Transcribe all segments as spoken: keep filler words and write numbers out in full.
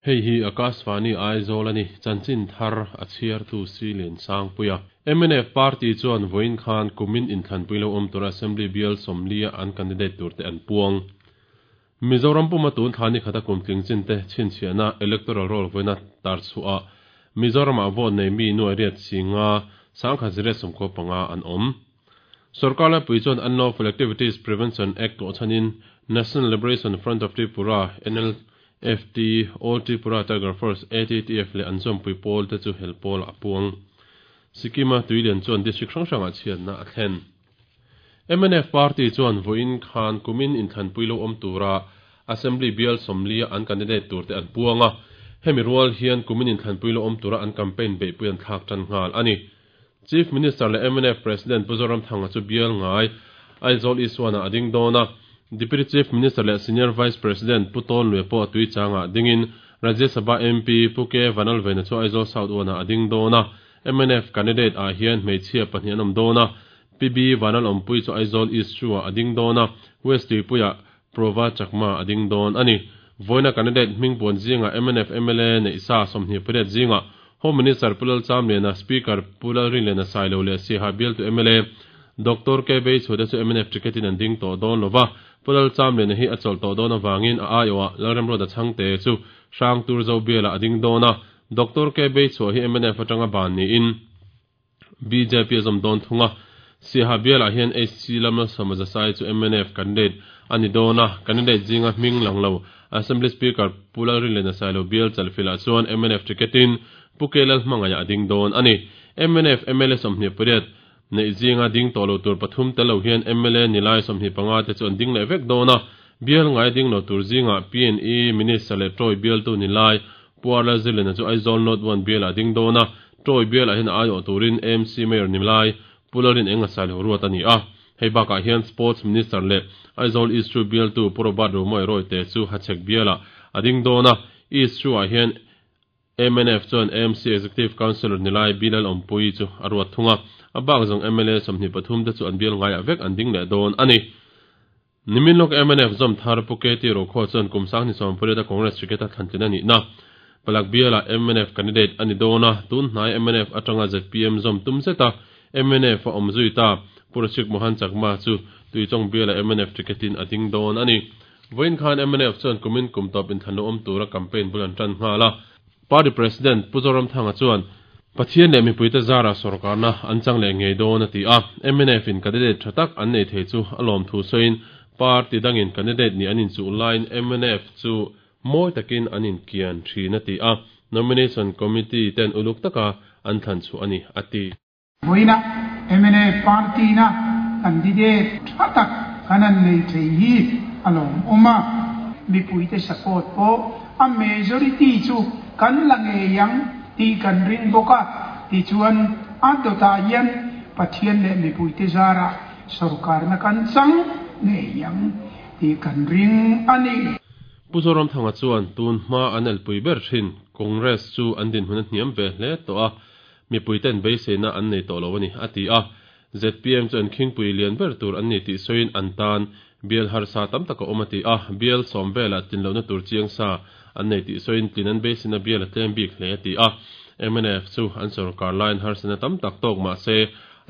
Hei hi Akashvani Aizawl ani chanchin thar a chhiar tu silin sangpuia M N F party chuan voin khan kumin inthlanpui lo awm tur assembly bial sawmlia an candidate turte an puang. Mizoram puma tun thani khata kumtling chinte chhinchhiahna electoral roll voina tar chhuah Mizoram a vote nei mi nuai riat singa sangkha zire sawmkhaw panga an awm. Sarkar pui chuan Unlawful Activities Prevention Act to chanin National Liberation Front of Tripura N L F T All Tripura Tiger Force A T T F le an zawmpui pawl te chu helpawl a puang. Sikima tuilian chuan district hrang hrangah chhiatna a thlen. M N F party chuan voin khan kumin inthlanpui lo awm tura assembly bial sawmlia an candidate turte an puanga. Hemi rual hian kumin inthlanpui lo awm tura an campaign beihpui an thlak tan nghal ani. Chief Minister le M N F President Pu Zoramthanga chu bial ngai Aizawl Iswana ading dona. Deputy Chief Minister le Senior Vice President Pu Tawn Lue pawh tui changa dingin Rajya Sabha M P Pu K Vanlalvena chu Aizawl South wana ading dona. M N F candidate a hian hmeichhia pahnih an awm dona. P B Vanal awmpui chu Aizawl East chu a ading dona. West Tuipuia Prova Chakma ading don ani. Voina candidate hming puan zinga M N F M L A nei sa sawmhnih pariat zinga Home Minister Pu Lalchamliana Speaker Pu Lalrinliana Sailo le Siaha bial tu M L A Doctor K Bei Chhuate chu M N F ticket in an ding tawh dawn lova. Pu Lalchamliana hi a chawlh tawh dawn awangin a aiawh Lalremruata chhangte chu hrang tur zo biala ading dawna. Doctor K Bei Chhuah hi M N F atanga ban niin B J P a zawm dawn thunga. Siaha bialah hian H C Lamla Sawmaza Sai chu M N F candidate ani dawna. Candidate zinga hming lang lo Assembly Speaker Pu Lalrinliana Sailo bial chalfilah chuan M N F ticketin Pu K Lalhmangaiah ading dawn ani. M N F M L A sawmhnih pariat nei zinga ding tawh lo tur pathum tel lo hian M L A nilai sawmhnih panga te chu an ding leh vek dawna. Bial ngai ding lo tur zinga P N E Minister le Troy bial tu nilai Pu Lalzirliana chu Aizawl North one bial a ding dawna. Troy bial ah hian a aiawh turin M C Mayor nilai Pu Lalrin Enga Sailo ruat ani a. Hei bakah hian Sports Minister le Aizawl East chu bial tu Pu Robert Romawia Royte chu Hachhek bialah a ding dawna. East chu ah hian M N F chuan M C Executive Councilor nilai Bilal awmpui chu a ruat thunga. A bak zawng M L A sawmhnih pathum te chu an bial ngaiah vek an ding leh dawn ani. Nimin lawk M N F zawm thar Pu K T Rokhaw chuan kum sanghnih sawm pariat a Congress ticket a thlantlin ani na. Palak bialah M N F candidate ani dawna. Tun hnai M N F atanga Z P M zawm tum zeta M N F a awm zui ta. Pu Rashik Mohan Chakma chu tuichawng bialah M N F ticketin a ding dawn ani. Voin khan M N F chuan kumin kum tawp inthlan lo awm tura campaign bul an tan nghal a. Party President Pu Zoramthanga chuan Pathian leh mipuite zara sarkarna an chang leh ngei dawn a ti a. M N F in candidate tha tak an nei thei chu a lawm thu sawiin party dangin candidate ni an inchuh laiin M N F chu mawi takin an inkian thin a ti a. Nomination Committee ten uluk taka an thlan chu ani a ti. Voina M N F party na candidate tha tak kan an nei thei hi a lawm awm a. Mipuite support pawh a majority chu kan la ngei ang ti kan ring bawk a. Tichuan a dawtah hian Pathian leh mipuite zara sarkarna kan chang ngei ang ti kan ring ani. Pu Zoramthanga chuan tun hma an elpui ber thin Congress chu an din hun a hniam ve hle tawh a. Mipuiten beiseina an nei tawh lo ani a ti a. Z P M chu an khingpui lian ber tur an ni tih sawiin an tan bial harsa tam taka awm a ti a. Bial sawm velah tinlohna tur chiang sa an nei tih sawiin tlin an beiseina bial a tlem bik hle a ti a. M N F chu an sarkar lain harsana tam tak tawk mah se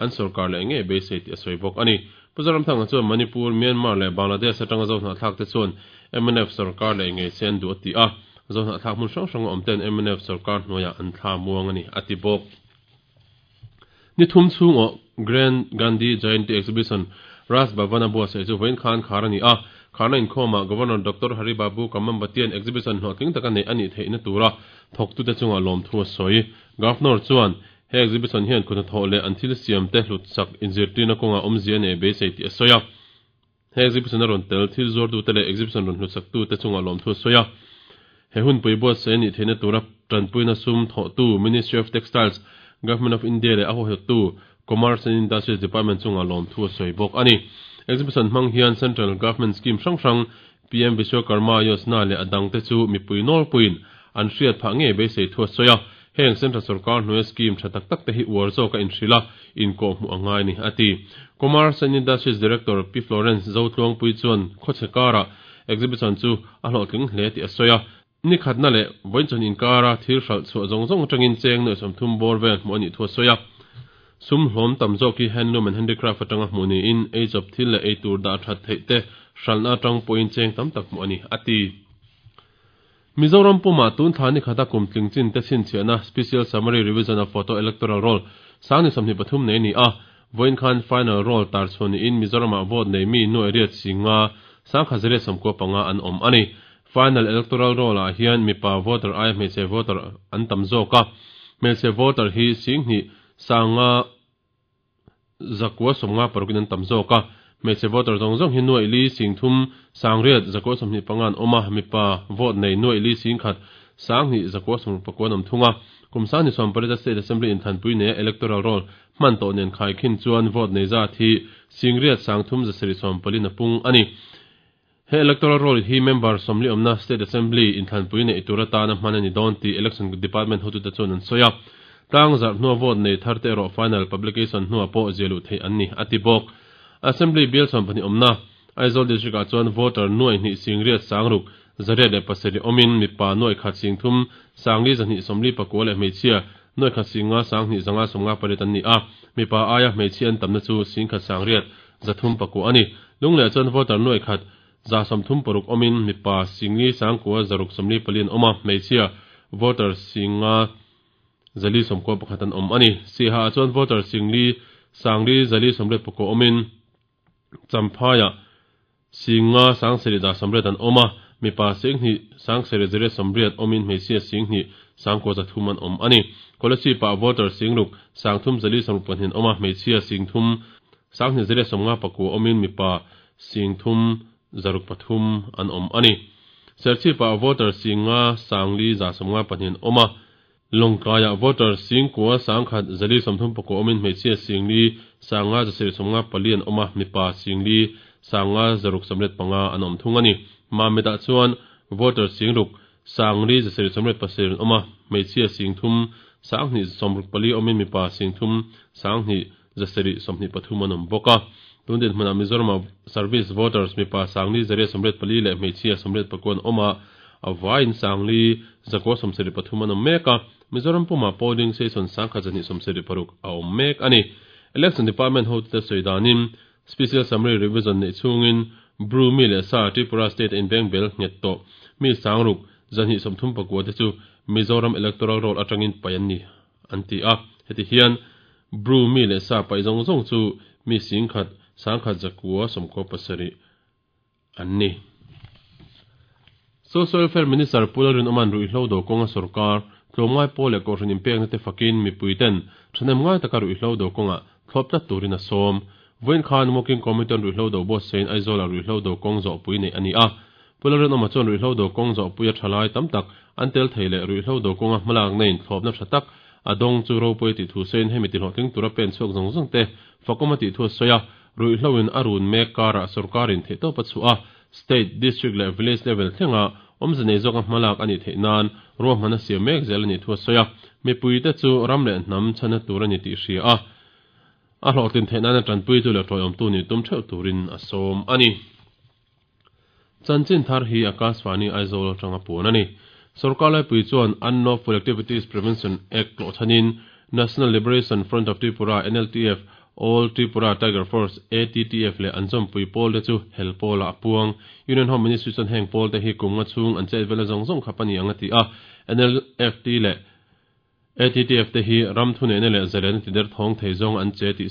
an sarkar leh ngei beisei tih a sawi bawk ani. Pu Zoramthanga chuan Manipur, Myanmar leh Bangladesh atanga zohnah thlak te chuan M N F sarkar leh ngei se an duh a ti a. Zohnah thlak hmun hrang hrang a awm ten M N F sarkar hnuaiah an thla muang ani a ti bawk. Ni thum chhung aw Grand Gandhi Jayanti Exhibition Raj Bhavana buatsaih chu vawiin khan khar ani a. Kharna inkhawmah Governor Doctor Hari Babu Kambhampatian exhibition hlawhtling taka nei ani theihna tura thawktute chunga lawm thu a sawi. Governor chuan he exhibition hian khuna thawh leh an thil siam te hlut sak inzirtirna kawnga awmzia nei beisei tih a sawi a. He exhibition a rawn tel thil zuartute leh exhibition rawn hlut saktute chunga lawm thu a sawi a. He hunpui buatsaih ani theihna tura tanpuina sum thawhtu Ministry of Textiles Government of India leh a huaihawttu Commerce and Industries Department chunga lawm thu a sawi bawk ani. Exhibition hmang hian Central Government Scheme hrang hrang P M Vishwakarma Yojana leh a dangte chu mipui nawlpuiin an hriat phah ngei beisei thu a sawi a. Heng Central Sarkar hnuaia scheme tha tak tak te hi uar zawk a inhrila inkaw hmuh a ngai ni a ti. Commerce and Industries Director P Florence Zotluangpui chuan khawchhe kara exhibition chu a hlawhtling hle tih a sawi a. Ni khatna le voin chon inkara thil hral chu zong zong atangin cheng noi somthum bor vel hmu ani thu soya. Sum hlom tam zawk hi handloom and handicraft atanga hmu ni in age of thil le ei tur da that thei te hralna atang point cheng tam tak hmu ani ati. Mizoram puma tun thani khata kum tling chin te chin chiana special summary revision of photo electoral roll sangni samni pathum nei ni a voin khan final roll tar chhoni in Mizoram a vote nei mi nu area chinga sangkha zere samko panga an om ani. Final electoral roll a hian mipa voter ai hmeichhe voter an tam zawk a hmeichhe voter hi singhi sanga zakwa somnga parukin an tam zawk a hmeichhe voter zawng zawng hi nuai li singthum sangriat zakwa sawmhnih panga an awm a mipa vote nei nuai li singkhat sanghnih zakwa sawmruk pakua an awm thung a kum sangni sawm pariat state assembly inthanpui nei electoral roll hman tawh nen khai khin chuan vote nei zat hi singriat sangthum zasarih sawm pali na pung ani. He electoral roll hi member somli omna state assembly inthanpui nei tura tana hman ani dawn ti election department hotu te chuan an sawi a tlang zar hnuah vote nei thar te erawh final publication hnuah pawh zialuh theih an ni ati bawk. Assembly bill sawm pahnih awmna Aizawl district ah chuan voter nuai hnih singriat sangruk zariat leh pasarih awmin mipa nuai khat singthum sangli zahnih sawmli pakua leh hmeichhia nuai khat singa sanghnih zanga sawmnga pariat an ni a mipa aia hmeichhia an tamna chu singkhat sangriat zathum pakua ani. Lungleh chuan voter nuai khat za sawmthum paruk awmin mipa singli sangkua zaruk sawmli pali an awm a hmeichhia voter singa zali sawmkua pakhat an awm ani. Siha ah chuan voter singli sangli zali sawmriat pakua awmin champhaya singa sangseri da sawmriat an awm a mipa singhnih sangseri zariat sawmriat awmin hmeichhia singhnih sangkua zathum an awm ani. Kolasib ah voter singruk sangthum zali sawmruk pahnih an awm a hmeichhia singthum sanghnih zariat sawmnga pakua awmin mipa singthum zaruk pathum an awm ani. Serchhip ah voter singa sangli za sawmnga pahnih an awm a Longkaya voter singkua sangkhat zali sawmthum pakua awmin hmeichhia singli sanga zasarih sawmnga pali an awm a mipa singli sanga zaruk sawmriat panga an awm thung ani. Mamit ah chuan voter singruk sangli zasarih sawmriat pasarih an awm a hmeichhia singthum sanghnih sawmruk pali awmin mipa singthum sanghnih zasarih sawmhnih pathum an awm bawk a. Tun din hmunah Mizoram service voters mipa sangli zariat sawmriat pali leh hmeichhia sawmriat pakua an awm a avaiin sangli zakua sawmsarih pathum an awm mek a Mizoram puma polling station sangkhat zahnih sawmsarih paruk a awm mek ani. Election department hotu te sawi danin special summary revision nei chungin Bru mi leh sa Tripura state in bank bel nghet tawh mi sangruk zahnih sawmthum pakua te chu Mizoram electoral roll atangin pai an ni an ti a heti hian Bru mi leh sa pai zawng zawng chu mi singkhat sangkhat zakua sawmkua pasarih an ni. Social Welfare Minister Pularin Oman ruihhlo do kawnga sarkar tlawmngai pawl leh kohhran inpekna te fakin mipui ten ṭhahnem ngai taka ruihhlo do kawnga thlawp tlat turin a sawm. Vawiin khan Working Committee on ruihhlo do buatsain Aizawl ah ruihhlo do kawng zawhpui nei ani a. Pularin Oma chuan ruihhlo do kawng zawhpui a ṭhalai tam tak an tel thei leh ruihhlo do kawnga hmalak neiin thlawpna ṭha tak a dawng chu ropui tih thu sawiin hemi ti hlawhtling tura pen chhuak zawng zawng te fakawm a tih thu a sawi a ruihhloin a run mek karah sarkarin theih tawp a chhuah a state district leh village level thlenga awmze nei zawk a hmalak ani theih nan ruahman a siam mek zel ani thu a sawi a mipui te chu ram leh hnam chhana tur ani tih hria a a hlawhtlin theih nan a ṭanpui tu leh ṭawiawm tu ni tum ṭheuh turin a sawm ani. Chanchin thar hi Akashvani Aizawl atanga puan ani. Sarkar laipui chuan Unlawful Activities Prevention Act tlawhchhanin National Liberation Front of Tripura N L T F All Tripura Tiger Force A T T F leh an zawmpui pawl te chu hel pawl ah a puang. Union Home Ministry chuan heng pawl te hi kum nga chhung an chet vela zawng zawng khap ani ang a ti a N L F T leh A T T F te hi ram thu neihna leh zalen ti der thawng thei zawng an che tih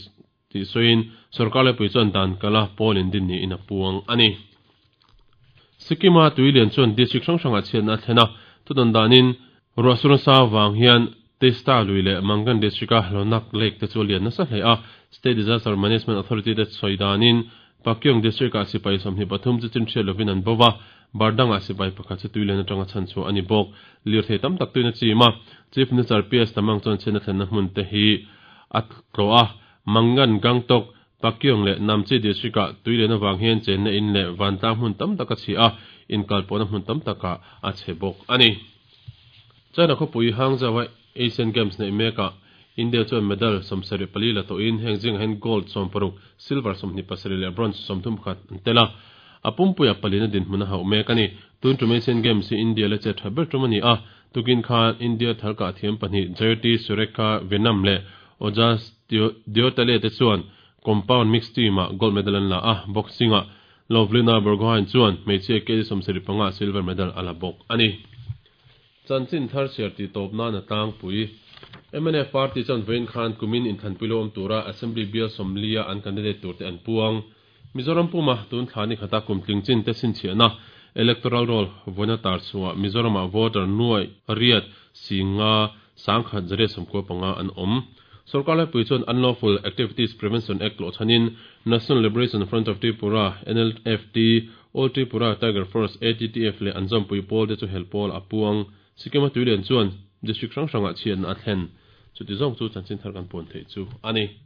tih sawiin sarkar laipui chuan dan kala pawl in din niin a puang ani. Sikkim a tuilian chuan district hrang hrangah chhiatna a thlen a thudawn danin ruahsur sa wang hian Testa lui leh Mangan district a Lonak Lake te chu a lian nasa hle a State Disaster Management Authority te sawi danin Pakyong district ah sipai sawmhnih pathum chu chin hriat lovin an bo a Bardang ah sipai pakhat chu tuilian atanga chhan chu ani bawk lir thei tam tak tuina chim a Chief Minister P S Tamang chuan chhiatna thlenna hmun te hi a tlaw a Mangan Gangtok Pakyong leh Namchi district ah tuilian awang hian chenna in leh vantlang hmun tam tak a chhi a inkalpawhna hmun tam takah a chhe bawk ani. China khawpui Hangzhou a Asian Games nei mekah India chuan medal sawmsarih pali la tawhin heng zingah hian gold sawm paruk silver sawmhnih pasarih leh bronze sawmthum pakhat an tel a. A pumpuia palina dinhmun a hauh mek a ni. Tun tum Asian Games hi India la che tha ber tum a ni a. Tukin khan India thalkah thiam pahnih Jayati Surekha Vennam leh Ojas Deotale te chuan compound mixed team-ah gold medal an la a. Boxing-ah Lovlina Borgohain chuan hmeichhia kg sawmsarih panga silver medal a la bawk a ni. Chanchin thar chhiar tih tawp nan a tlangpui. M N F party chuan vawiin khan kumin inthlanpui lo awm tura Assembly bial sawmlia an candidate turte an puang. Mizoram puma tun thla ni khata kum tling chin te chhinchhiahna electoral roll vawiina tar chhuah Mizoramah voter nuai riat singa sangkhat zariat sawmkua panga an awm. Sorkar laipui chuan Unlawful Activities Prevention Act tlawhchhanin National Liberation Front of Tripura, N L F T, All Tripura Tiger Force, A T T F leh an zawmpui pawl te chu hel pawl a puang. Sikkim-a tuilian chuan district hrang hrangah chhiatna a thlen. Chuti zawng chu chanchin thar kan puan theih chu a ni.